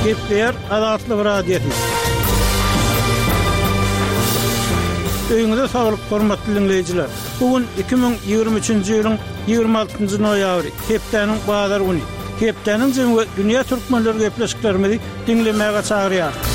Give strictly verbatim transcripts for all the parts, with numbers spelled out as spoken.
Gepleýär Azatlyk Radiosy. Öýüňize saglyk, hormatly diňleýjiler. Bu gün iki müň ýigrimi üçünji ýylyň ýigrimi altynjy noýabry, hepdäniň bazar güni. Hepdäniň jemi we dünýä türkmenleri gepleşiklerimizi diňlemäge çagyrýarys.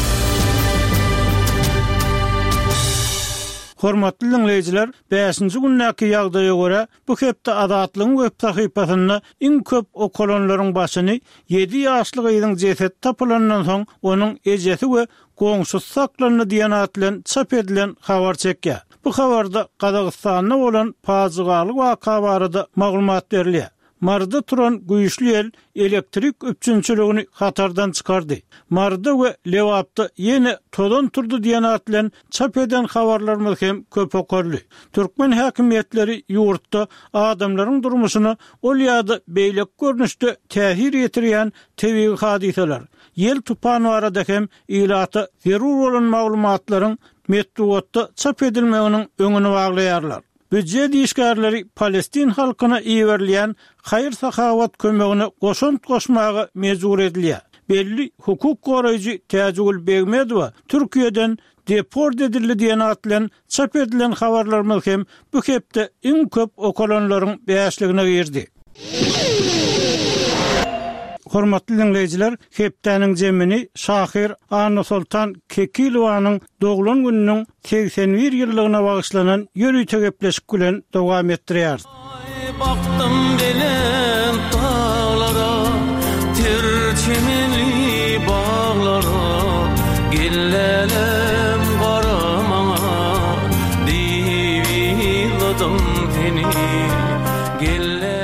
Hormatly diňleýjiler, bäşinji gündäki ýagdaýa görä, bu hepde Azatlygyň web sahypasynda iň köp okalanlaryň başyny ýedi ýaşly gyzyň jesedi tapylandan soň onuň ejesi we goňşusy saklandy diýen at bilen çap edilen habar çekýär. Bu habarda Gazagystanda bolan pajygaly waka barada maglumat berilýär. Maryda turan güýçli ýel elektrik üpjünçiligini hatardan çykardy. Maryda we Lebapda ýene tozan turdy diýen at bilen çap eden habarlarymyz hem köp okaldy. Türkmen häkimiýetleri ýurtda adamlaryň durmuşyna ol ýa-da beýleki görnüşde täsir ýetirýän tebigy hadysalar, ýel-tupan barada hem ilata zerur bolan maglumatlaryň metbugatda çap edilmeginiň öňüni baglaýarlar. Býujet işgärleri palestin halkyna iberilýän haýyr-sahawat kömegine goşant goşmaga mejbur edilýär. Belli hukuk goraýjy Täjigül Begmedowa Türkiýeden deport edildi diýen at bilen çap edilen habarlarymyz hem bu hepde iň köp okalanlaryň bäşligine girdi. Hormatly diňleýjiler, hepdäniň jemini şahyr Annasoltan Kekilowanyň doglan gününiň segsen bir ýyllygyna bagyşlanan ýörite gepleşik bilen dowam etdirýäris. Baktym belent daglara, ter çemenli baglara, gellälem gara maňa, diýip ýygladym seni.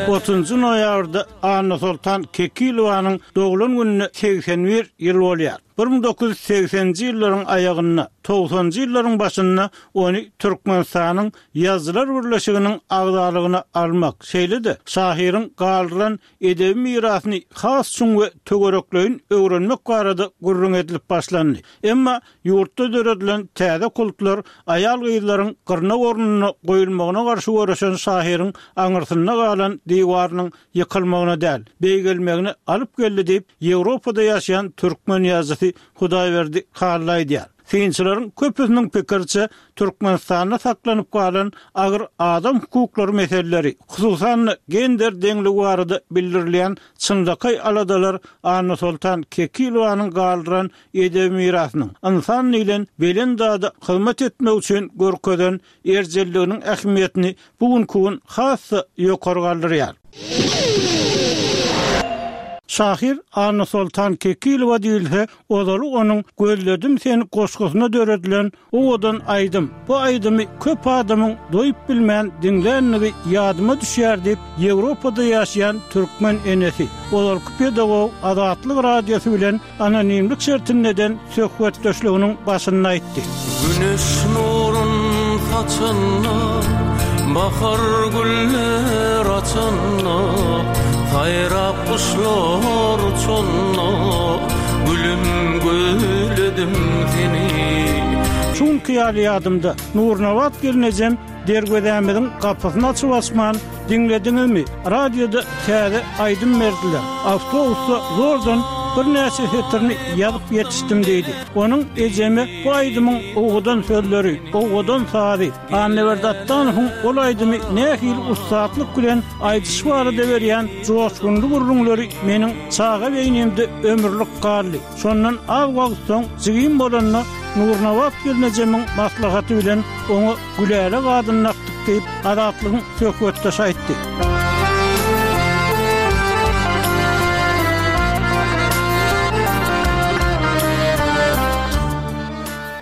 Otuzynjy noýabrda Annasoltan Kekilowanyň doglan gününe segsen bir ýyl bolýar. Bir müň dokuz ýüz segseninji ýyllaryň aýagynda, togsanjy ýyllaryň başynda ony Türkmenistanyň Ýazyjylar birleşiginiň agzalygyna almak, şeýle-de şahyryň galdyran edebi mirasyny has çuň we töwerekleýin öwrenmek barada gürrüň edilip başlandy. Emma ýurtda döredilen täze kultlar aýal-gyzlaryň gyrnak ornunda goýulmagyna garşy göreşen şahyryň aňyrsynda galan diwarynyň ýykylmagyna däl, beýgelmegine alyp geldi diýip, Ýewropada ýaşaýan türkmen ýazyjysy Hudaýberdi Hally aýdýar. Synçylaryň köpüsiniň pikiriçe, Türkmenistanda saklanyp galan agyr adam hukuklary meseleleri, hususan-da gender deňligi barada bildirilýän çynlakaý aladalar Annasoltan Kekilowanyň galdyran edebi mirasynyň, ynsan diýlen belent zada hyzmat etmek üçin görkezen erjelliginiň ähmiýetini bu günki gün has-da ýokary galdyrýar. Şahyr Annasoltan Kekilowa diýilse, ozaly onuň Gözledim seni goşgusyna döredilen owadan aýdym. Bu aýdymy köp adamyň doýup bilmän diňlänligi ýadyma düşýär diýip, Ýewropada ýaşaýan türkmen enesi, ozalky pedagog Azatlyk Radiosy bilen anonimlik şertinde eden söhbetdeşliginiň başynda aýtdy. Güneş nurun saçanda, bahar güller açanda, saýrap guşlar uçanda, gülüm gözledim seni. Şu günki ýaly ýadymda, Nurnabat gelnejem derwezämiziň gapysyny açyp açman, diňlediňizmi, radioda täze aýdym berdiler, awtobusda zordan birnäçe setirini ýazyp ýetişdim diýdi. Onuň ejeme bu aýdymyň owadan sözleri, owadan sazy, Annaberdi Atdanowyň ol aýdymy nähili ussatlyk bilen aýdyşy barada berýän joşgunly gürrüňleri meniň çaga beýnimde ömürlik galdy. Şondan az wagt soň jigim bolanda Nurnabat gelnejemiň maslahaty bilen oňa Gülälek adyny dakdyk diýip, Azatlygyň söhbetdeşi aýtdy.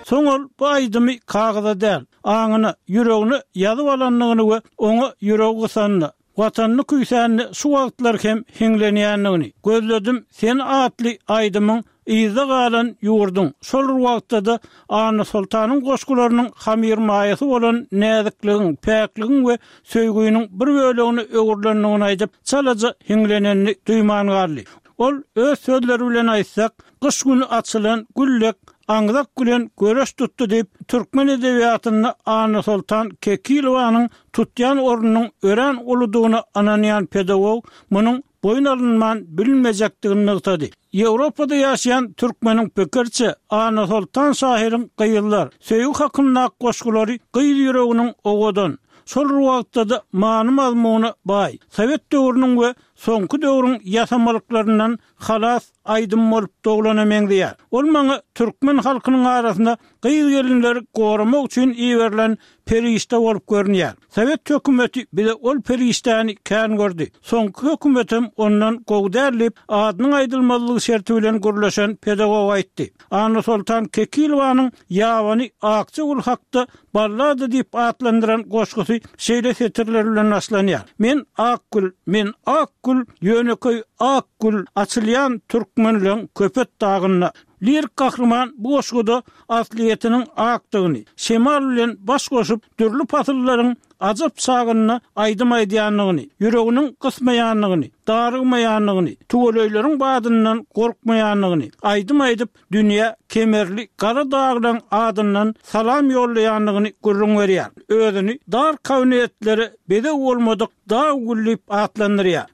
Soň ol bu aýdymy kagyza däl, aňyna, ýüregine ýazyp alandygyny we oňa ýüregi gysanda, Watanyny küýsände şu wagtlar hem hiňlenýändigini, Gözledim seni atly aýdymyň yzda galan ýurduň, şol bir wagtda-da Annasoltanyň goşgularynyň hamyrmaýasy bolan näzikligiň, päkligiň we söýgüniň bir bölegine öwrülendigini aýdyp, çalaja hiňlenenini duýman galdy. Ol öz sözleri bilen aýtsak, gyş güni açylan gül dek aňzak bilen göreş tutdy diýip, türkmen edebiýatynda Annasoltan Kekilowanyň tutýan ornunyň örän uludygyna ynanýan pedagog munuň boýun alynman bilinmejekdigini nygtady. Ýewropada ýaşaýan türkmeniň pikiriçe, Annasoltan şahyryň gyzlar, söýgi hakyndaky goşgulary gyz ýüreginiň owadan, şol bir wagtda-da many-mazmuna baý, sowet döwrüniň we soňky döwrüň ýasamalyklaryndan halas aýdym bolup doglana meňzeýär. Ol maňa türkmen halkynyň arasynda gyz-gelinleri goramak üçin iberilen perişde bolup görünýär. Sowet hökümeti bize ol perişdäni kän gördi. Soňky hökümetem ondan gowy däl diýip, adynyň aýdylmazlygy şerti bilen gürleşen pedagog aýtdy. Annasoltan Kekilowanyň Ýabany akja gül hakda ballada diýip atlandyran goşgusy şeýle setirler bilen başlanýar, Men ak gül, men ak gül, ýönekeý ak gül, açylýan türkmenleň Köpet dagynda. Lirik gahryman bu goşguda aslyýetiniň akdygyny, şemal bilen baş goşup, dürli pasyllaryň ajap çagynda aýdym aýdýandygyny, ýüreginiň gysmaýandygyny, darygmaýandygyny, tüweleýleriň badyndan gorkmaýandygyny, aýdym aýdyp, dünýä kemerli gara daglaryň adyndan salam ýollaýandygyny gürrüň berýär. Özüni dar kabinetlere bezeg bolmadyk dag güli diýip atlandyrýar.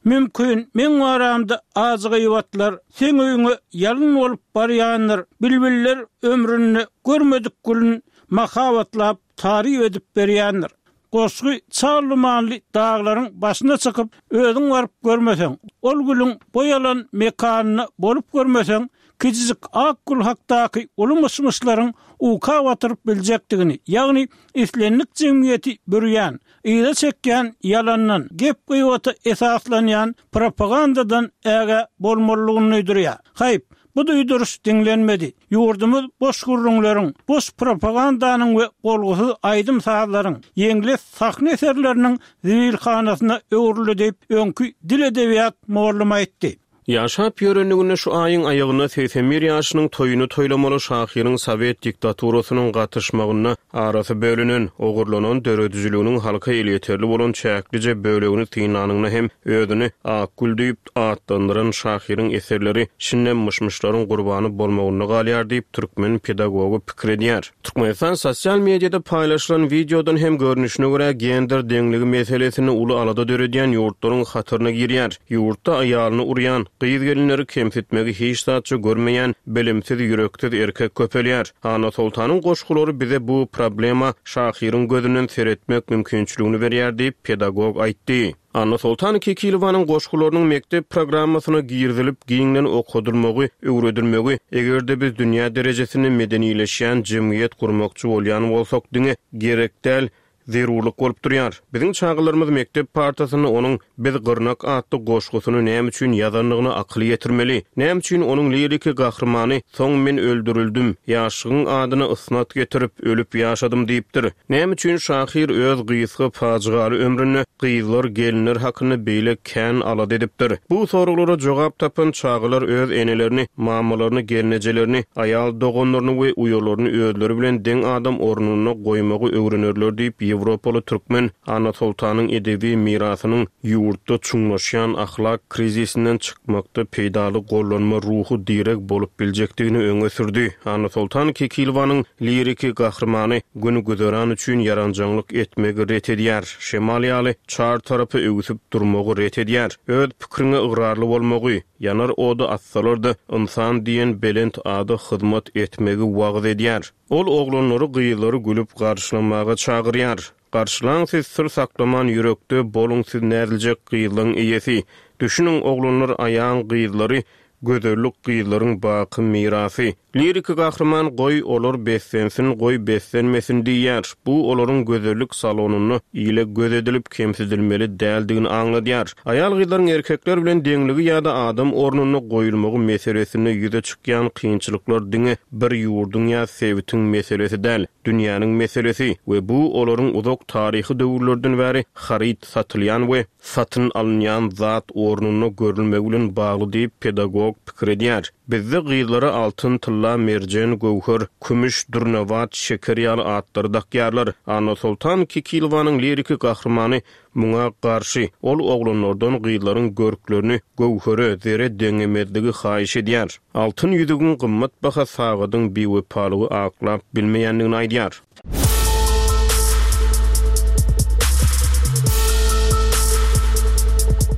Mümkin, meň baramda ajy gyýbatlar seň öýüňe ýalyn bolup barýandyr, bilbiller ömründe görmedik gülün mahabatlap, taryp edip berýändir. Goşgy çal dumanly daglaryň başyna çykyp, özüň baryp görmeseň, ol gülüň boý alan mekanynda bolup görmeseň, kiçijik ak gül hakdaky uly myş-myşlaryň uka batyryp biljekdigini, ýagny islendik jemgyýeti bürýän, yza çekýän ýalandan, gep-gybata esaslanýan propagandadan ägä bolmalydygyny duýdurýar. Haýp, bu duýduryş diňlenmedi. Ýurdumyz boş gürrüňleriň, boş propagandanyň we bolgusyz aýdym-sazlaryň, ýeňles sahna eserleriniň zibilhanasyna öwrüldi diýip, öňki dil-edebiýat mugallymy aýtdy. Ýaşap ýörenliginde şu aýyň aýagynda segsen bir ýaşynyň toýuny toýlamaly şahyryň sowet diktaturasynyň gatyşmagynda arasy bölünen, ogurlanan döredijiliginiň halka elýeterli bolan çäklije bölegini synlanyňda hem özüni Akgül diýip atlandyran şahyryň eserleri şindem myş-myşlaryň gurbany bolmagynda galýar diýip, türkmen pedagogy pikir edýär. Türkmenistan sosial mediada paýlaşylan wideodan hem görnüşine görä, gender deňligi meselesinde uly alada döredýän ýurtlaryň hataryna girýär. Ýurtda aýalyny urýan, gyz-gelinleri kemsitmegi hiç zatça görmeýän bilimsiz, ýüreksiz erkek köpelýär. Annasoltanyň goşgulary bize bu problema şahyryň gözünden seretmek mümkinçiligini berýär diýip, pedagog aýtdy. Annasoltan Kekilowanyň goşgularynyň mekdep programmasyna girizilip, giňden okadylmagy, öwredilmegi, eger-de biz dünýä derejesinde medenileşýän jemgyýet gurmakçy bolýan bolsak, diňe gerek däl, zerurlyk bolup durýar. Biziň çagalarymyz mekdep partasynda onuň Biz gyrnak atly goşgusyny näme üçin ýazandygyna akyl ýetirmeli. Näme üçin onuň liriki gahrymany Soň men öldürildim, ýaşlygyň adyna ysnat getirip, ölüp ýaşadym diýipdir. Näme üçin şahyr öz gysga pajygaly ömründe gyzlar, gelinler hakynda beýle kän alada edipdir? Bu soraglara jogap tapan çagalar öz enelerini, mamalaryny, gelnejelerini, aýal doganlaryny we uýalaryny özleri bilen deň adam ornunda goýmagy öwrenerler diýip, ýewropaly türkmen Annasoltanyň edebi mirasynyň ýurtda çuňlaşýan ahlak krizisinden çykmakda peýdaly gollanma ruhy direg bolup biljekdigini öňe sürdi. Annasoltan Kekilowanyň liriki gahrymany gün-güzeran üçin ýaranjaňlyk etmegi ret edýär, şemal ýaly çar tarapa öwsüp durmagy ret edýär, öz pikiriňe ygrarly bolmagy, ýanar oda atsalar-da, ynsan diýen belent ada hyzmat etmegi wagyz edýär. Ol oglanlary, gyzlary gülüp garşylamaga çagyrýar. Garşylaň siz syr saklaman ýürekde boluň siz näziljek gyzlaň eýesi. Düşüniň oglanlar aýaň gyzlary gözellik gyzlaryň baky mirasy. Liriki gahryman goý olar beslensin goý beslenmesin diýýär. Bu olaryň gözellik salonynda ile göz edilip kemsidilmeli däldigini aňladýar. Aýal-gyzlaryň erkekler bilen deňligi ýa-da adam ornunda goýulmagy meselesinde ýüze çykýan kynçylyklar diňe bir ýurduň ýa sebitiň meselesi däl, dünýäniň meselesi we bu olaryň uzak taryhy döwürlerden bäri haryt satylýan we satyn alynýan zat ornunda görülmegi bilen bagly diýip, pedagog pikir edýär. Bizde gyzlara altyn, tylla, merjen, göwher, kümüş, dürnabat, şeker ýaly atlary dakýarlar. Annasoltan Kekilowanyň liriki gahrymany muňa garşy. Ol oglanlardan gyzlaryň görklerini göwhere, zere deňemezligi haýyş edýär. Altyn ýüzügiň gymmat baha sagadyň biwepalygy aklap bilmeýändigini aýdýar.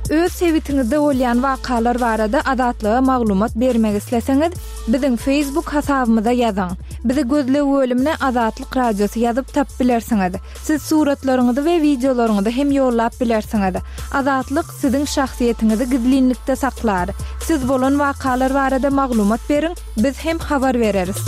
Öz Öz sebitiňizde bolýan wakalar barada Azatlyga maglumat bermek isleseňiz, biziň Facebook hasabymyza ýazyň. Bizi gözleg bölümine Azatlyk Radiosy ýazyp tapyp bilersiňiz. Siz suratlaryňyzy we wideolaryňyzy hem ýollap bilersiňiz. Azatlyk siziň şahsyýetiňizi gizlinlikde saklar. Siz bolan wakalar barada maglumat beriň, biz hem habar bereris.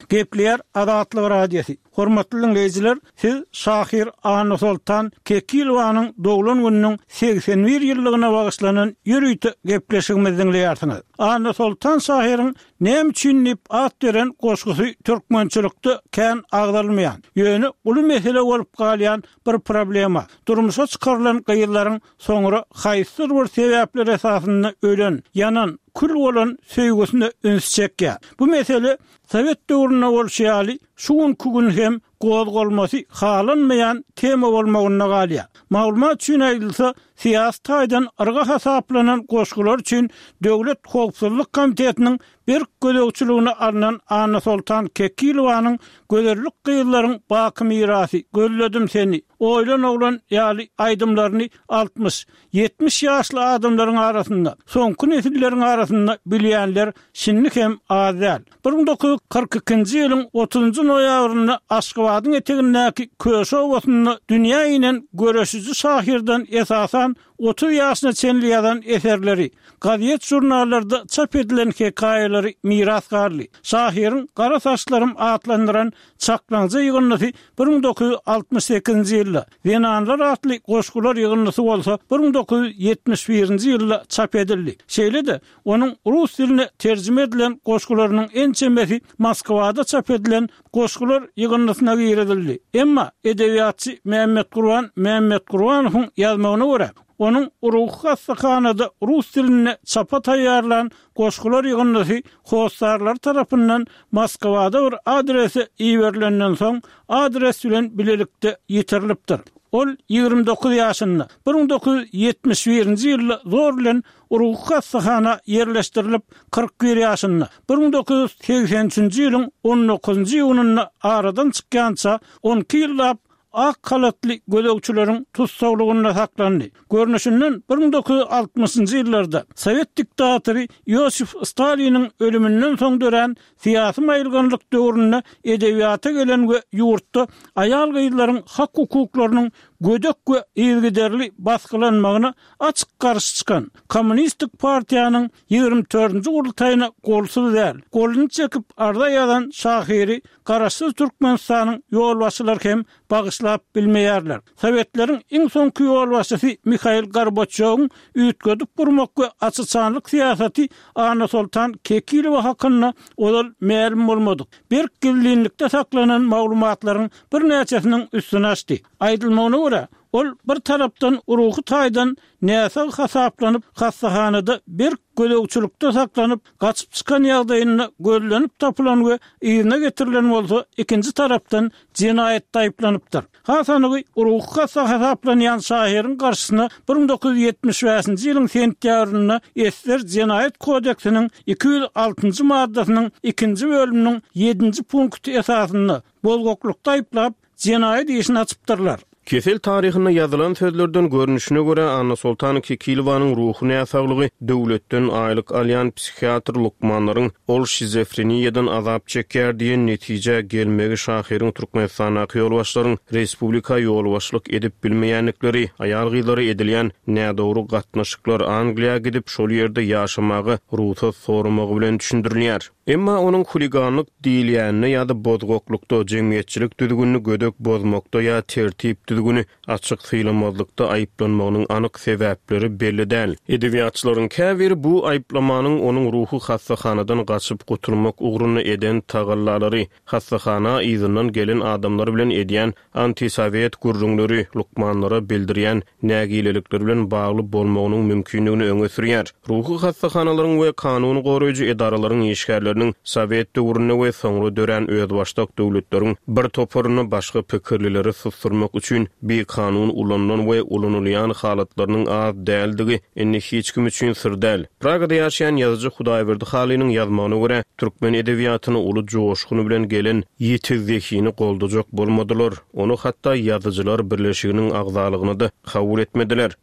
Gepleýär Azatlyk Radiosy. Hormatly dinleýjiler, siz şahyr Annasoltan Kekilowanyň doglan gününiň seksen bir ýyllygyna bagyşlanan ýörite gepleşigimizi dinleýärsiňiz. Annasoltan şahyryň näme üçin diýip at beren goşgusy türkmençilikde kän agzalmaýan, ýöne uly mesele bolup galýan bir problema. Durmuşa çykarylan gyzlaryň soňra haýsydyr bir sebäpler esasynda ölen, ýanan, kül bolan söýgüsine üns çekýär. Bu mesele Sowet döwründe bolşy ýaly, şu günkü gün hem gozgalmasy halanmaýan tema bolmagynda galýar. Maglumat üçin aýdylsa, syýasy taýdan yrga hasaplanan goşgular üçin Döwlet howpsuzlyk komitetiniň berk gözegçiligine alnan Annasoltan Kekilowanyň Gözellik gyzlaryň baky mirasy, Gözledim seni, Oýlan oglan ýaly aýdymlaryny altmyş, ýetmiş ýaşly adamlaryň arasynda, soňky nesilleriň arasynda bilýänler şindi hem az däl. Bir müň dokuz ýüz kyrk ikinji ýylyň otuzynjy noýabrynda Aşgabadyň etegindäki Köşi obasynda dünýä inen göreşiji şahyrdan esasan otuz ýaşyna çenli ýazan eserleri, gazet-žurnallarda çap edilen hekaýalary miras galdy. Şahyryň Gara saçlarym atlandyran çaklaňja ýygyndysy bir müň dokuz ýüz altmyş sekizinji ýylda, Zenanlar atly goşgular ýygyndysy bolsa bir müň dokuz ýüz ýetmiş birinji ýylda çap edildi. Şeýle-de, onuň rus diline terjime edilen goşgularynyň ençemesi Moskwada çap edilen goşgular ýygyndysyna girizildi. Emma edebiýatçy Mämmetgurban Mämmetgurbanowyň ýazmagyna görä, onuň ruhy hassahanada rus dilinde çapa taýýarlan goşgular ýygyndysy hossarlary tarapyndan Moskwada bir adrese iberilenden soň, adres bilen bilelikde ýitirilipdir. Ol ýigrimi dokuz ýaşynda, bir müň dokuz ýüz ýetmiş birinji ýylda zor bilen ruhy hassahana ýerleşdirilip, kyrk bir ýaşynda, bir müň dokuz ýüz segsen üçünji ýylyň on dokuzynjy iýunynda aradan çykýança on iki ýyllap ak halatly gözegçileriň tussaglygynda saklandy. Görnüşinden bir müň dokuz ýüz altmyşynjy ýyllarda sowet diktatory Iosif Staliniň ölüminden soň dörän syýasy maýylganlyk döwründe edebiýata gelen we ýurtda aýal-gyzlaryň hak-hukuklarynyň gödek we yzygiderli basgylanmagyna açyk garşy çykan Kommunistik partiýanyň ýigrimi dördünji gurultaýyna golsuz däl, goluny çekip arza ýazan şahyry Garaşsyz Türkmenistanyň ýolbaşçylary hem bagyşlap bilmeýärler. Sowetleriň iň soňky ýolbaşçysy Mihail Gorbaçýowyň üýtgedip gurmak we açyçanlyk syýasaty Annasoltan Kekilowa hakynda ozal mälim bolmadyk, berk gizlinlikde saklanan maglumatlaryň birnäçesiniň üstüni açdy. Aýdylmagyna görä, ol bir tarapdan ruhy taýdan näsag hasaplanyp, hassahanada berk gözegçilikde saklanyp, gaçyp çykan ýagdaýynda gözlenip tapylan we yzyna getirilen bolsa, ikinji tarapdan jenaýatda aýyplanypdyr. Has anygy, ruhy hassa hasaplanýan şahyryň garşysyna bir müň dokuz ýüz ýetmiş bäşinji ýylyň sentýabrynda Esser jenaýat kodeksiniň iki ýüz altynjy maddasynyň ikinji bölüminiň ýedinji punkty esasynda bozgaklykda aýyplap, jenaýat işini açypdyrlar. Kesel taryhynda ýazylan sözlerden görnüşine görä, Annasoltan Kekilowanyň ruhy näsaglygy döwletden aýlyk alýan psihiatr lukmanlaryň ol şizofreniýadan azap çekýär diýen netijä gelmegi şahyryň Türkmenistandaky ýolbaşçylaryň respublika ýolbaşçylyk edip bilmeýändikleri, aýal-gyzlara edilýän nädogry gatnaşyklar, Angliýa gidip şol ýerde ýaşamaga rugsat soramagy bilen düşündirilýär. Emma onuň huliganlyk diýilýänine ýa-da bozgaklykda, jemgyýetçilik düzgünini gödek bozmakda ýa tertip düzgüni açyk sylamazlykda aýyplanmagynyň anyk sebäpleri belli däl. Edebiýatçylaryň käbiri bu aýyplamanyň onuň ruhy hassahanadan gaçyp gutulmak ugrunda eden tagallalary, hassahana yzyndan gelen adamlar bilen edýän antisowet gürrüňleri, lukmanlara bildirýän nägilelikleri bilen bagly bolmagynyň mümkindigini öňe sürýär. Ruhy hassahanalaryň we kanun goraýjy edaralaryň işgärleriniň sowet döwründe we soňra dörän özbaşdak döwletleriň bir toparynda başga pikirlileri susturmak üçin üçin bikanun ulanylan we ulanylýan halatlarynyň az däldigi indi hiç kim üçin syr däl. Pragada ýaşaýan ýazyjy Hudaýberdi Halynyň ýazmagyna görä, türkmen edebiýatyna uly joşgun bilen gelen ýiti zehini goldajak bolmadylar. Ony hatda ýazyjylar birleşiginiň agzalygyna-da kabul etmediler.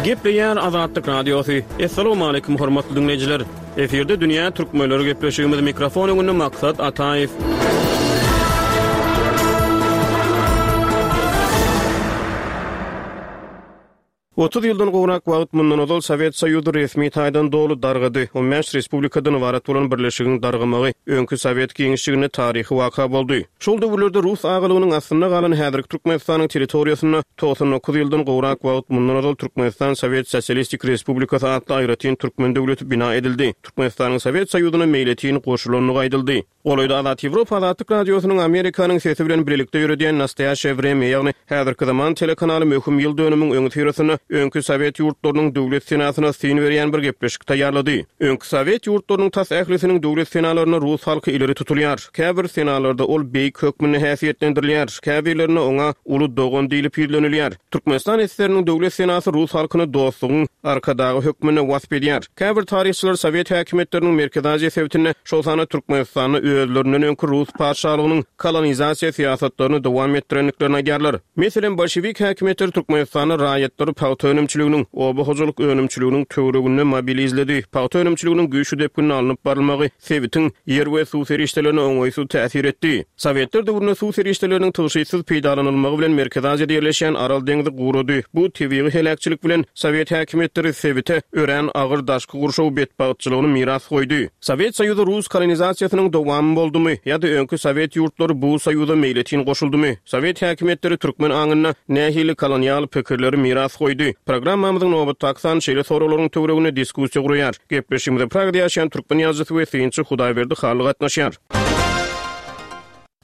Gepleýär Azatlyk Radiosy. Assalamu hormatly dinleýjiler. Efirde Dünýä Türkmenleri gepleşigimiz mikrofon öňünde Maksat Ataýew. Otuz ýyldan gowrak wagt mundan ozal Sowet Soýuzy resmi taýdan doly dargady. On bäş respublikadan ybarat bolan birleşigiň dargamagy öňki Sowet giňişliginde taryhy waka boldy. Şol döwürlerde Rus agalygynyň aslynda galan häzirki Türkmenistanyň territoriýasynda togsan dokuz ýyldan gowrak wagt mundan ozal Türkmenistan Sowet Sosialistik Respublikasy atly aýratyn türkmen döwleti bina edildi. Türkmenistanyň Sowet Soýuzyna meýletin goşulandygy aýdyldy. Golaýda Azat Ýewropa Azatlyk Radiosynyň Amerikanyň sesi bilen birlikde ýöredýän Nastoýaşe Vremya, ýagny häzirki zaman telekanaly möhüm ýyl dönümiň öňi syrasynda öňki Sowet ýurtlarynyň döwlet senasyna syn berýän bir gepleşik taýýarlady. Öňki Sowet ýurtlarynyň tas ählisiniň döwlet senalarynda rus halky ileri tutulýar. Käbir senalarda ol beýik hökmünde häsiýetlendirilýär, käbirlerinde oňa uly dogan diýlip ýüzlenilýär. Türkmenistan S S R'niň döwlet senasy rus halkyny dostlugyň arkadagy hökmünde wasp edýär. Käbir taryhçylar Sowet häkimiýetleriniň Merkezi Aziýa sebitinde, şol sanda Türkmenistanda özlerinden öňki rus patyşalygynyň kolonizasiýa syýasatlaryny dowam etdirendiklerini aýdýarlar. Meselem, bolşewik häkimiýetleri Türkmenistanda raýatlary pagta önümçiliginiň, oba hojalyk önümçiliginiň töwereginde mobilizledi. Pagta önümçiliginiň güýçli depginde alnyp barylmagy sebitiň ýer we suw serişdelerine oňaýsyz täsir etdi. Sowetler döwründe suw serişdeleriniň tygşytsyz peýdalanylmagy bilen Merkezi Aziýada ýerleşýän Aral deňzi gurady. Bu tebigy heläkçilik bilen Sowet häkimiýetleri sebite örän agyr daşky gurşaw betbagtçylygyny miras goýdy. Sowet Soýuzy rus kolonizasiýasynyň dowamy boldumy ýa-da öňki Sowet ýurtlary bu soýuza meýletin goşuldymy? Sowet häkimiýetleri türkmen aňynda nähili kolonial pikirleri miras goýdy? Programmamyzyň nobatdaky sany şeýle soraglaryň töwereginde diskussiýa guraýar. Gepleşigimize Pragada ýaşaýan türkmen ýazyjysy we synçy Hudaýberdi Hally gatnaşýar.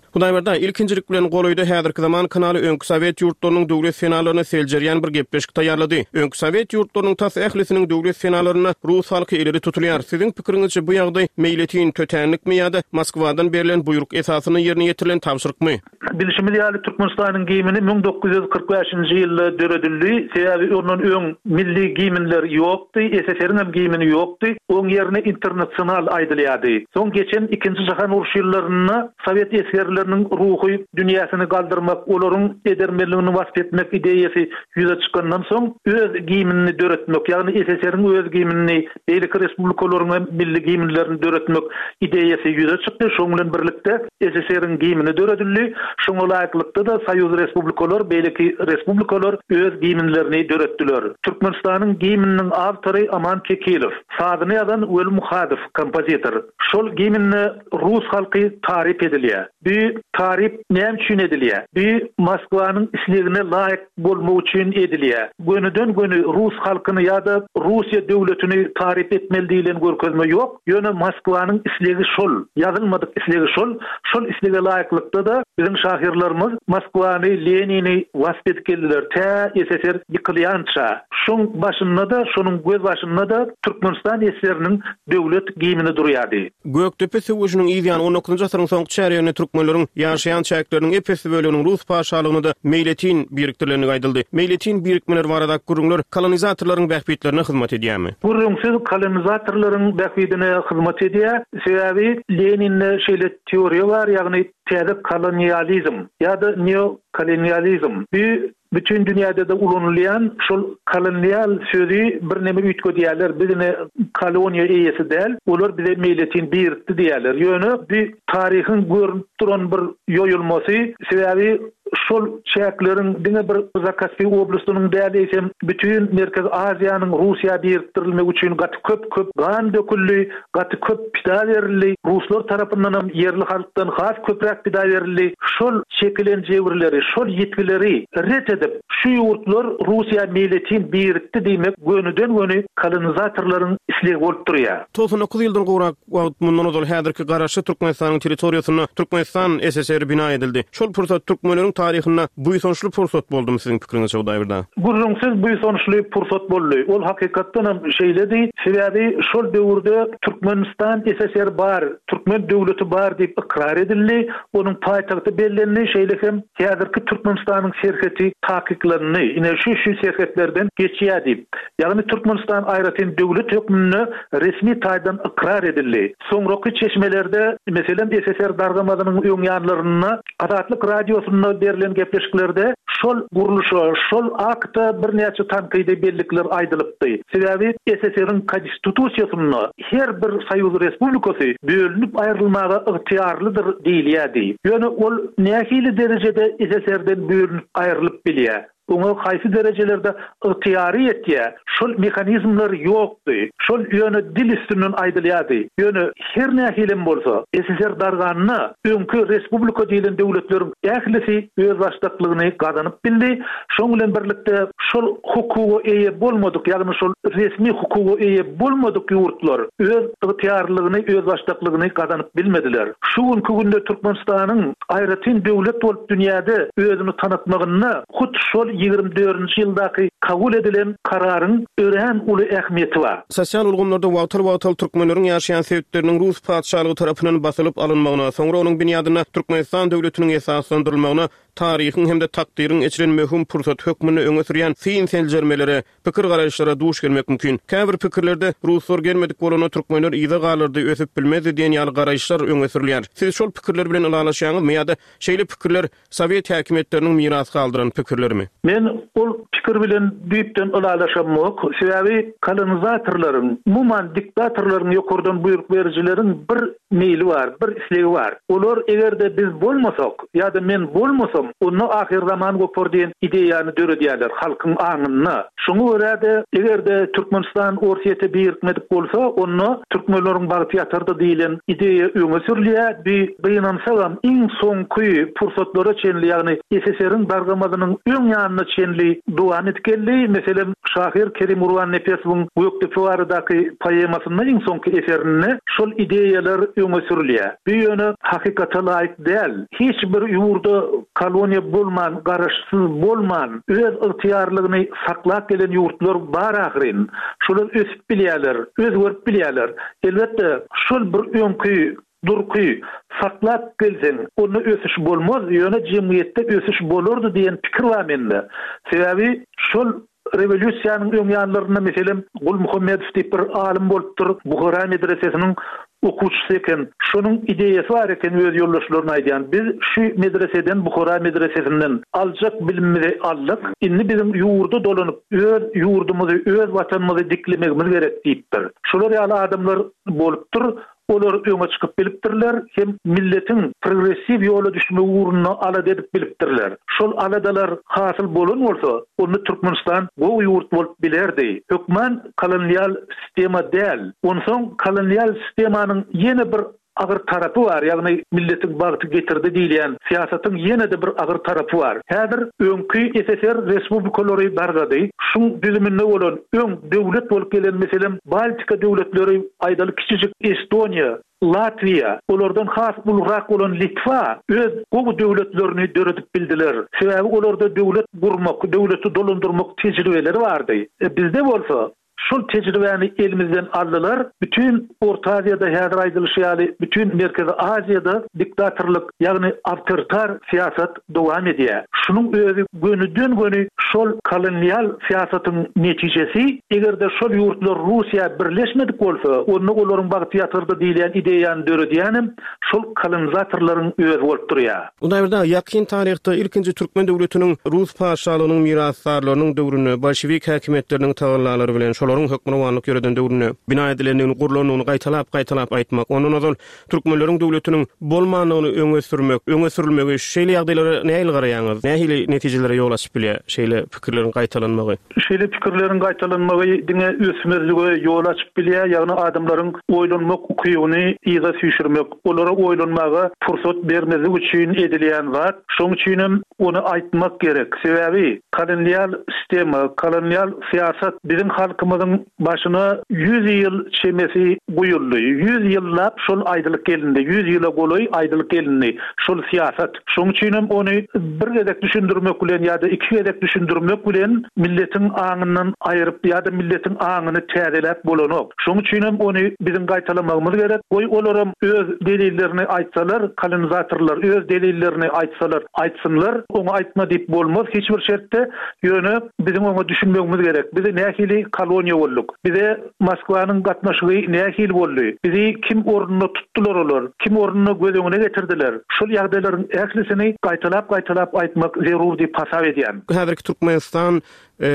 Hudaýberdi, ilkinjilik bilen golaýda häzirki zaman kanaly öňki Sowet ýurtlarynyň döwlet senalaryny seljerýän bir gepleşik taýýarlady. Öňki Sowet ýurtlarynyň tas ählisiniň döwlet senalarynda rus halky ileri tutulýar. Siziň pikiriňizçe bu ýagdaý meýletin tötänlikmi ýa-da Moskwadan berlen buýruk esasynda ýerine ýetirilen tabşyrykmy? Bilşimiz ýaly Türkmenistanyň gimni müň dokuz ýüz kyrk bäşinji ýylda döredildi. Sebäbi ondan öň milli gimnler ýokdy, S S R'niň hem gimni ýokdy. Oň ýerine internasional aýdylýardy. Soň geçen ikinji jahan urşy ýyllarynda Sowet esgerleriniň ruhy dünýäsini galdyrmak, olaryň edermenligini wasp etmek ideýasy ýüze çykandan soň öz gimnini döretmek, ýagny S S R'niň öz gimnini, beýleki respublikalaryň hem milli gimnlerini döretmek ideýasy ýüze çykdy. Şoň bilen birlikde S S R'niň gimni döredildi. Şoňa laýyklykda da Soýuz respublikalar, beýleki respublikalar öz gimnlerini döretdiler. Türkmenistanyň gimniniň awtory Aman Kekilow, sazyny ýazan Weli Muhadow kompozitor. Şol gimnde rus halky taryp edilýär. Bu taryp näme üçin edilýär? Bu Moskwanyň islegine laýyk bolmak üçin edilýär. Gönüden göni rus halkyny ýa-da Russiýa döwletini taryp etmeli diýlen görkezme ýok. Ýöne Moskwanyň islegi şol, ýazylmadyk islegi şol. Şol islege laýyklykda da biziň şahyrlarymyz Moskwany, Lenini wasp edip geldiler. Tä S S R ýykylýança. Şoň başynda da, şonuň göz başynda da Türkmenistan S S R'niň döwlet gimni durýardy. Gökdepe söweşiniň yz ýany on dokuzynjy asyryň soňky çärýeginde türkmenleriň ýaşaýan çäkleriniň epesi böleginiň rus patyşalygyna da meýletin birikdirilendigi aýdyldy. Meýletin birikmeler barada gürrüňler kolonizatorlaryň bähbitlerine hyzmat edýärmi? Gürrüňsiz kolonizatorlaryň bähbidine hyzmat edýär. Sebäbi Leninde şeýle teoriýa bar, ýagny täze kolonializm ýa-da neokolonializm. Bu bütün dünýäde de ulanylýan şol kolonial sözi bir neme üýtgedýärler. Biz ine koloniýa eýesi däl, olar bize meýletin birikdi diýärler. Ýöne bu taryhyň görünip duran bir ýoýulmasy, sebäbi şol çäkleriň diňe bir Zakaspi oblastynyň däl, eýsem bütün Merkezi Aziýanyň Russiýa birikdirilmegi üçin gaty köp köp gan döküldi, gaty köp pida berildi. Ruslar tarapyndan hem ýerli halkdan has köpräk pida berildi. Şol çekilen jebirleri, şol ýitgileri ret edip, şu ýurtlar Russiýa meýletin birikdi diýmek gönüden göni kolonizatorlaryň islegi bolup durýar. Togsan dokuz ýyldan gowrak wagt mundan ozal häzirki garaşly Türkmenistanyň territoriýasynda Türkmenistan S S R bina edildi. Şol pursat türkmenleriň taryhynda buýsançly pursat boldumy siziň pikiriňizçe Hudaýberdi aga? Gürrüňsiz buýsançly pursat boldy. Ol hakykatdan hem şeýledi. Sebäbi şol döwürde Türkmenistan S S R bar, türkmen döwleti bar diýip ykrar edildi. Onuň paýtagty bellendi. Şeýle hem häzirki Türkmenistanyň serheti takyklandy. Ine şu şu serhetlerden geçýär diýip. Ýagny Türkmenistan aýratyn döwlet hökmünde resmi taýdan ykrar edildi. Soňraky çeşmelerde, meselem, S S R dargamazynyň öň ýanlarynda Azatlyk radiosynda berlen gepleşiklerde şol gurluşa, şol akta birnäçe tankydy bellikler aýdylypdy. Sebäbi S S R-iň konstitusiýasynda her bir Soýuz Respublikasy bölünip aýrylmaga ygtyýarlydyr diýilýärdi. Ýöne ol nähili derejede S S R-den bölünip aýrylyp bilýär? Oňa haýsy derejelerde ygtyýary ýetýär? Şol mehanizmler ýokdy. Şol ýöne dil üstünden aýdylýardy. Ýöne her nähilem bolsa, S S R darganyna öňki respublika diýlen döwletleriň ählisi özbaşdaklygyny gazanyp bildi. Şoň bilen birlikde şol hukuga eýe bolmadyk, ýagny şol resmi hukuga eýe bolmadyk ýurtlar öz ygtyýarlygyny, özbaşdaklygyny gazanyp bilmediler. Şu günki günde Türkmenistanyň aýratyn döwlet bolup dünýäde özüni tanatmagynda hut şol ýigrimi dördünji ýyldaky kabul edilen kararyň örän uly ähmiýeti bar. Sosial ulgamlarda wagtal-wagtal türkmenleriň ýaşaýan sebitleriniň Rus patyşalygy tarapyndan basylyp alynmagyna, soňra onuň binýadynda Türkmenistan döwletiniň esaslandyrylmagyna taryhyň hem-de takdyryň eçilen möhüm pursat hökmünde öňe sürýän syn seljermelere, pikir garaýyşlara duş gelmek mümkin. Käbir pikirlerde ruslar gelmedik bolanda türkmenler yza galardy, ösüp bilmezdi diýen ýaly garaýyşlar öňe sürülýär. Siz şol pikirler bilen ylalaşýaňyzmy ýa-da şeýle pikirler Sowet häkimiýetleriniň miras galdyran pikirlerimi? Men ol pikir bilen düýpden ylalaşamok. Sebäbi kolonizatorlaryň, umuman diktatorlaryň, ýokardan buýruk berijileriň bir meýli bar, bir islegi bar. Olar eger-de biz bolmasak ýa-da men bolmasam, onda ahyr zaman gopar diýen ideýany döredýärler halkyň aňynda. Şoňa görä-de eger-de Türkmenistan Orsýete birikmedik bolsa, onda türkmenleriň bagty ýatardy diýlen ideýa öňe sürülýär. Bir gynansagam iň soňky pursatlara çenli, ýagny S S R-iň dargamazynyň öň ýanyna çenli dowam edip geldi. Meselem, şahyr Kerim Gurbannepesowyň Gökdepe baradaky poemasynda iň soňky eserinde şol ideýalar öňe sürülýär. Bu ýöne hakykata laýyk däl. Hiç bir ýurda koloniýa bolman, garaşsyz bolman, öz ygtyýarlygyny saklap gelen ýurtlar bar ahyryn. Şolar ösüp bilýärler, özgerip bilýärler. Elbetde, şol bir öňki durky saklap gelseň, onda ösüş bolmaz, ýöne jemgyýetde ösüş bolardy diýen pikir bar mende. Sebäbi şol rewolýusiýanyň öň ýanlarynda meselem Gul Muhammedow diýip bir alym bolupdyr, Buhara medresesiniň okuwçysy eken. Şonuň ideýasy bar eken öz ýoldaşlaryna aýdýan. Biz şu medreseden, Buhara medresesinden aljak bilimimizi aldyk. Indi biziň ýurda dolanyp, öz ýurdumyzy, öz watanymyzy diklemegimiz gerek diýipdir. Şolar ýaly adamlar bolupdyr. Olar öňe çykyp bilipdirler, hem milletiň progressiw ýola düşmegi ugrunda alada edip bilipdirler. Şol aladalar hasyl bolan bolsa, onda Türkmenistan gowy ýurt bolup bilerdi. Hökman kolonial sistema däl. Onsoň kolonial sistemanyň ýene bir agyr tarapy bar, ýagny milletiň bagty getirdi diýilýän syýasatyň ýene-de bir agyr tarapy bar. Häzir öňki S S R respublikalary dargady. Şuň düzüminde bolan öň döwlet bolup gelen meselem Baltika döwletleri, aýdaly kiçijik Estoniýa, Latwiýa, olardan has ulurak bolan Litwa öz gowy döwletlerini döredip bildiler. Sebäbi olarda döwlet gurmak, döwleti dolandyrmak tejribeleri bardy. E, bizde bolsa şol tejribäni elimizden aldylar. Bütün Orta Aziýada häzir aýdylyşy ýaly, bütün Merkezi Aziýada diktatorlyk, ýagny awtoritar syýasat dowam edýär. Şunuň özi gönüden göni şol kolonial syýasatyň netijesi. Eger-de şol ýurtlar Russiýa birleşmedik bolsa, onda olaryň bagty ýatyrdy diýilýän ideýany döredýänem şol kolonizatorlaryň özi bolup durýar. Hudaýberdi aga, ýakyn taryhda ilkinji türkmen döwletiniň Rus patyşalygynyň mirasdarlarynyň döwründe bolşewik häkimiýetleriniň tagallalary bilen şolaryň hökmürowanlyk ýöreden döwründe bina edilendigini, gurlandygyny gaýtalap-gaýtalap aýtmak, ondan ozal türkmenleriň döwletiniň bolmandygyny öňe sürmek, öňe sürülmegi şeýle ýagdaýlara nähili garaýaňyz? Nähili netijelere ýol açyp bilýär şeýle pikirleriň gaýtalanmagy? Şeýle pikirleriň gaýtalanmagy diňe ösmezlige ýol açyp bilýär, ýagny adamlaryň oýlanmak ukybyny yza süýşürmek, olara oýlanmaga pursat bermezlik üçin edilýän zat. Şonuň üçin hem ony aýtmak gerek. Sebäbi kolonial sistema, kolonial syýasat biziň halkymyzy Halkymyzyň başyna ýüz ýyl çemesi guýuldy. Ýüz ýyllap şol aýdylyk gelindi. Ýüz ýyla golaý aýdylyk gelindi. Şol syýasat. Şonuň üçin hem ony bir gezek düşündirmek bilen ýa-da iki gezek düşündirmek bilen milletiň aňyndan aýryp ýa-da milletiň aňyny täzeläp bolanok. Şonuň üçin hem ony biziň gaýtalamagymyz gerek. Goý olaram öz delillerini aýtsalar, kolonizatorlar öz delillerini aýtsalar, aýtsynlar, oňa aýtma diýip bolmaz hiç bir şertde. Ýöne biziň oňa düşünmegimiz gerek. Biz nähili koloniýa bolduk? Bize Moskwanyň gatnaşygy nähili boldy? Bizi kim ornuna tutdular olar? Kim ornuna göz öňüne getirdiler? Şol ýagdaýlaryň ählisini gaýtalap-gaýtalap aýtmak zerur diýip hasap edýän. Häzirki Türkmenistan, e,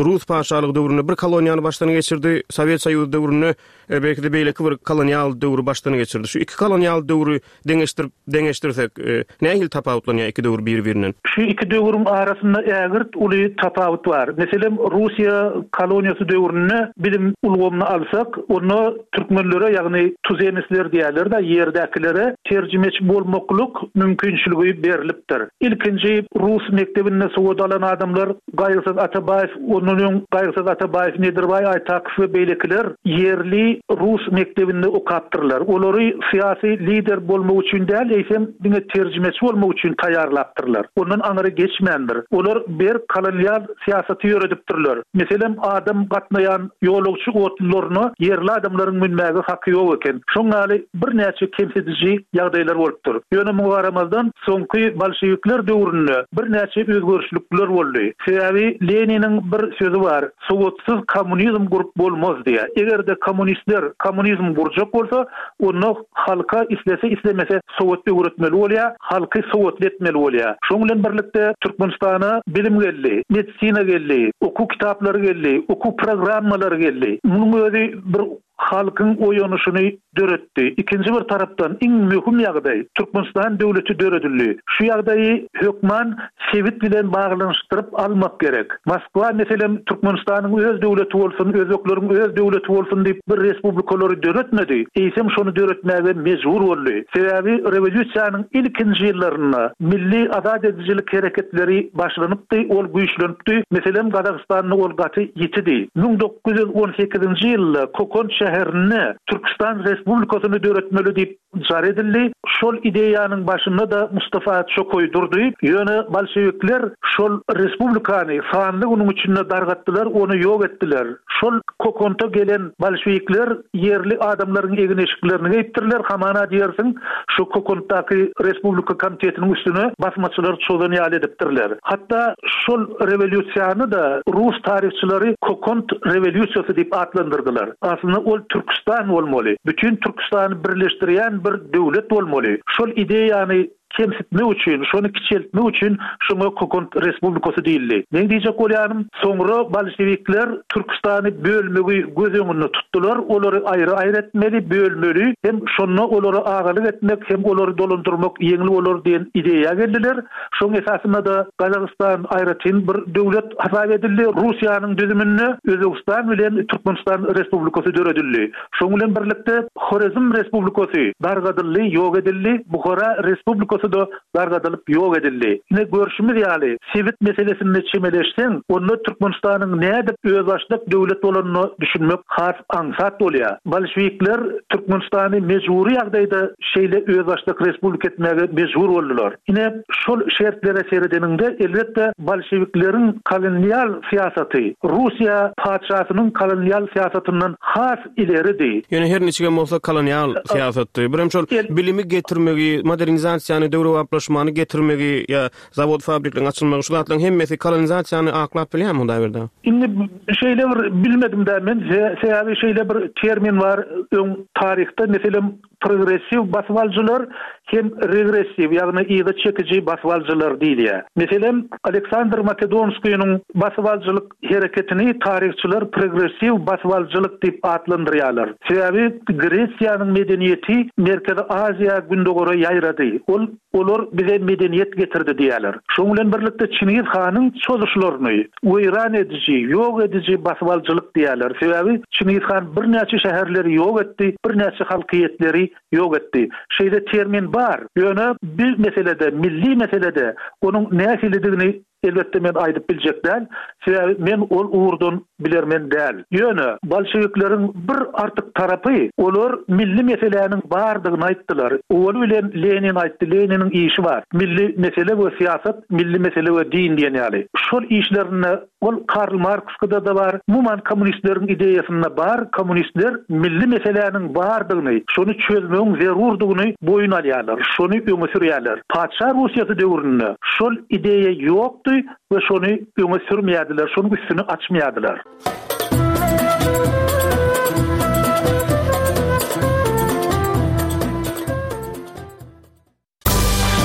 Rus paşalygy döwründe bir koloniýany başdan geçirdi, Sowet Soýuzy döwründe, e, belki de beýleki bir kolonial döwri başdan geçirdi. Şu iki kolonial döwri deňeşdirip, deňeşdirsek, e, nähili tapawutlanýar iki döwür bir-birinden? Şu iki döwrüň arasynda ägirt uly tapawut bar. Meselem, Russiýa koloniýasy döwründe bilim ulgamyny alsak, onda türkmenlere, ýagny tuzemistler diýerler-de, ýerdäkilere terjimeçi bolmaklyk mümkinçiligi berlipdir. Ilkinji rus mekdebinde sowat alan adamlar Gaýgysyz Atabaýew, ondan öň Gaýgysyz Atabaýew, Nedirbaý Aýtakow we beýlekiler ýerli rus mekdebinde okapdyrlar. Olary syýasy lider bolmak üçin däl, eýsem diňe terjimeçi bolmak üçin taýýarlapdyrlar. Ondan aňry geçmändir. Olar berk kolonial syýasaty ýöredipdirler. Meselem, adam gatnaýan ýolagçy otlularyna ýerli adamlaryň münmäge haky ýok eken. Şoň ýaly birnäçe kemsidiji ýagdaýlar bolupdyr. Ýöne muňa garamazdan soňky bolşewikler döwründe birnäçe özgerişlikler boldy. Sebäbi Leniniň bir sözi bar, sowatsyz kommunizm gurup bolmaz diýe. Eger-de kommunistler kommunizm gurjak bolsa, onda halka islese islemese sowat öwretmeli bolýar, halky sowatly etmeli bolýar. Şoň bilen birlikde Türkmenistana bilim geldi, medisina geldi, okuw kitaplary geldi, okuw programmalary geldi. Munuň özi bir halkyň oýanyşyny döretdi. Ikinji bir tarapdan iň möhüm ýagdaý Türkmenistan döwleti döredildi. Şu ýagdaýy hökman sebit bilen baglanyşdyryp almak gerek. Moskwa meselem Türkmenistanyň öz döwleti bolsun, özbekleriň öz döwleti bolsun diýip bir respublikalary döretmedi. Eýsem şony döretmäge mejbur boldy. Sebäbi rewolýusiýanyň ilkinji ýyllarynda milli azat edijilik hereketleri başlanypdy, ol güýçlenipdi. Meselem Gazagystanda ol gaty ýitidi. Müň dokuz ýüz on sekizinji ýylda Kokon şäherinde Türkistan Respublikasyny döretmeli diýip jar edildi. Şol ideýanyň başynda da Mustafa Çokoý durdy. Ýöne bolşewikler şol respublikany sanly günüň içinde dargatdylar, ony ýok etdiler. Şol Kokonta gelen bolşewikler ýerli adamlaryň egin-eşiklerini geýipdirler. Hamana diýersiň, şu Kokontdaky Respublika komitetiniň üstüne basmaçylar çozan ýaly edipdirler. Hatda şol rewolýusiýany da Rus taryhçylary Kokont rewolýusiýasy diýip atlandyrdylar. Aslynda ol Türkistan bolmaly. Bütün Türkistany birleşdirýän bir döwlet bolmaly. Şol ideýany kemsitmek üçin, şony kiçeltmek üçin şoňa Kokont Respublikasy diýildi. Men diýjek bolýanym, soňra bolşewikler Türkistany bölmegi göz öňünde tutdular. Olary aýry-aýry etmeli, bölmeli, hem şonda olara agalyk etmek, hem olary dolandyrmak ýeňil bolar diýen ideýa geldiler. Şoň esasynda da Gazagystan aýratyn bir döwlet hasap edildi. Russiýanyň düzüminde Özbegistan bilen Türkmenistan Respublikasy döredildi. Şoň bilen birlikde Horezm Respublikasy dargadyldy, ýok edildi. Buhara Respublikasy da dargadylyp ýok edildi. Ine görşümiz ýaly, sebit meselesinde çemeleşseň, onda Türkmenistanyň nädip özbaşdak döwlet bolanyny düşünmek has aňsat bolýar. Bolşewikler Türkmenistany mejbury ýagdaýda şeýle özbaşdak respublika etmäge mejbur boldular. Ine şol şertlere seredeniňde elbetde bolşewikleriň kolonial syýasaty Russiýa patyşasynyň kolonial syýasatyndan has ileridi. Ýöne her niçigem bolsa kolonial syýasatdy. Birem şol bilimi getirmegi, modernizasiýany, döwrebaplaşmany getirmegi ýa zawod fabrikleriň açylmagy şu zatlaryň hemmesi kolonizasiýany aklap bilýärmi Hudaýberdi? Indi şeýle bir bilmedim de men, sebäbi şeýle bir termin bar öň taryhda, meselem progressiw basybalyjylar hem regressiw, ýagny yza çekiji basybalyjylar diýilýär. Meselem Aleksandr Makedonskiyniň basybalyjylyk hereketini taryhçylar progressiw basybalyjylyk diýip atlandyrýarlar. Sebäbi Gresiýanyň medeniýeti Merkezi Aziýa gündogara ýaýrady. Ol olar bize medeniýet getirdi diýerler. Şoň bilen birlikde Çingiz hanyň çozuşlaryny weýran ediji, ýok ediji basybalyjylyk diýerler. Sebäbi Çingiz han birnäçe şäherleri ýok etdi, birnäçe halkyýetleri ýok etdi. Şeýle termin bar. Ýöne bir meselede, milli meselede onuň nähilidigini elbetde men aýdyp biljek däl. Sebäbi men ol ugurdan bilermen däl. Ýöne bolşewikleriň bir artyk tarapy olar milli meseläniň bardygyny aýtdylar. Owaly bilen Lenin aýtdy, Leniniň işi bar. Milli mesele we syýasat, milli mesele we din diýen ýaly. Şol işlerinde ol Karl Marksda da bar, umuman kommunistleriň ideýasynda bar, kommunistler milli meseläniň bardygyny, şony çözmegiň zerurdygyny boýun alýarlar, şony öňe sürýärler. Patyşa Russiýasy döwründe şol ideýa ýokdy we şony öňe sürmeýärdiler, şonuň üstüni açmaýardylar.